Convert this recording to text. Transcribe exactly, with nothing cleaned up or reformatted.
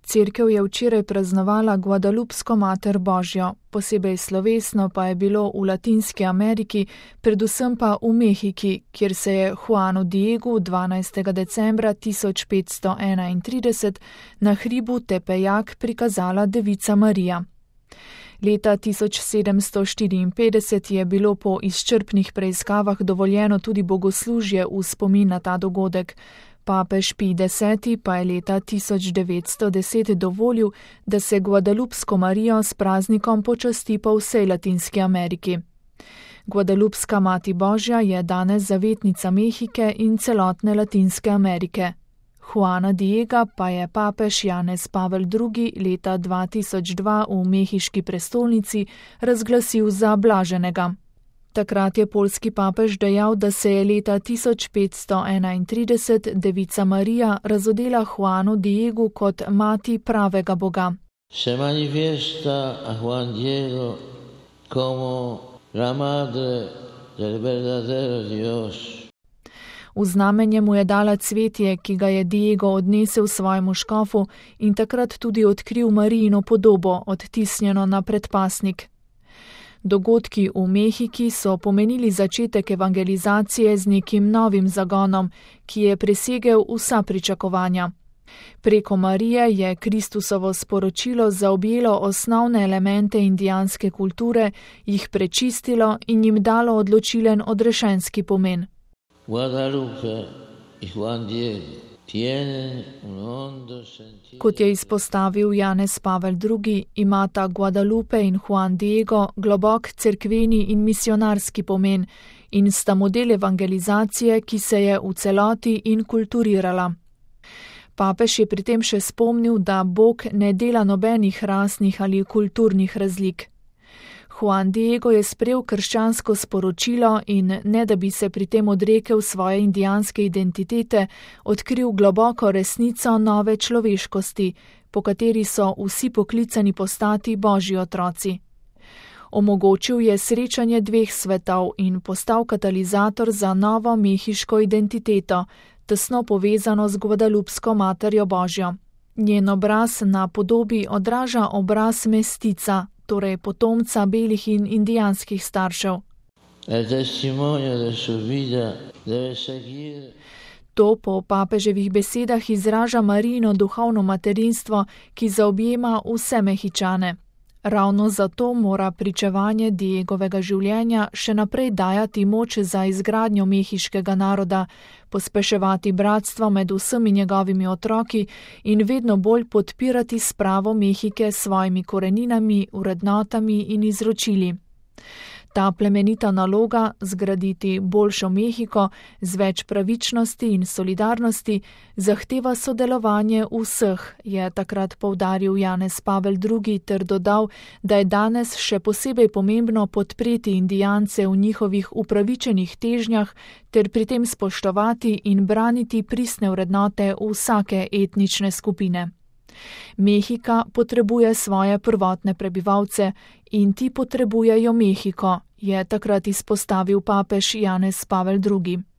Cerkev je včeraj praznovala Guadalupsko mater Božjo, posebej slovesno pa je bilo v Latinski Ameriki, predvsem pa v Mehiki, kjer se je Juanu Diegu dvanajstega decembra tisoč petsto enaintrideset na hribu Tepejac prikazala Devica Marija. Leta tisoč sedemsto štiriinpetdeset je bilo po izčrpnih preiskavah dovoljeno tudi bogoslužje v spomin na ta dogodek. Papež Pij deseti pa je leta tisoč devetsto deset dovolil, da se Guadalupsko Marijo s praznikom počasti po vsej Latinski Ameriki. Guadalupska mati Božja je danes zavetnica Mehike in celotne Latinske Amerike. Juana Diega pa je papež Janez Pavel drugi. leta dva tisoč dva v mehiški prestolnici razglasil za blaženega. Takrat je poljski papež dejal, da se je leta tisoč petsto enaintrideset Devica Marija razodela Juanu Diegu kot mati pravega Boga. Se manifiesta a Juan Diego como la madre del verdadero Dios. V znamenje mu je dala cvetje, ki ga je Diego odnesel svojemu škofu in takrat tudi odkril Marijino podobo, odtisnjeno na predpasnik. Dogodki v Mehiki so pomenili začetek evangelizacije z nekim novim zagonom, ki je presegel vsa pričakovanja. Preko Marije je Kristusovo sporočilo zaobjelo osnovne elemente indijanske kulture, jih prečistilo in jim dalo odločilen odrešenski pomen. Guadalupe in Juan Diego tienen un hondo sentido. Kot je izpostavil Janez Pavel drugi, imata Guadalupe in Juan Diego globok cerkveni in misionarski pomen in sta model evangelizacije, ki se je v celoti inkulturirala. Papež je pri tem še spomnil, da Bog ne dela nobenih rasnih ali kulturnih razlik. Juan Diego je sprejel krščansko sporočilo in, ne da bi se pri tem odrekel svoje indijanske identitete, odkril globoko resnico nove človeškosti, po kateri so vsi poklicani postati Božji otroci. Omogočil je srečanje dveh svetov in postal katalizator za novo mehiško identiteto, tesno povezano z Guadalupsko materjo Božjo. Njen obraz na podobi odraža obraz mestica, torej potomca belih in indijanskih staršev. To po papeževih besedah izraža Marijino duhovno materinstvo, ki zaobjema vse Mehičane. Ravno zato mora pričevanje Diegovega življenja še naprej dajati moč za izgradnjo mehiškega naroda, pospeševati bratstvo med vsemi njegovimi otroki in vedno bolj podpirati spravo Mehike s svojimi koreninami, vrednotami in izročili. Ta plemenita naloga, zgraditi boljšo Mehiko z več pravičnosti in solidarnosti, zahteva sodelovanje vseh, je takrat poudaril Janez Pavel drugi ter dodal, da je danes še posebej pomembno podpreti Indijance v njihovih upravičenih težnjah ter pri tem spoštovati in braniti pristne vrednote vsake etnične skupine. Mehika potrebuje svoje prvotne prebivalce in ti potrebujejo Mehiko, je takrat izpostavil papež Janez Pavel drugi.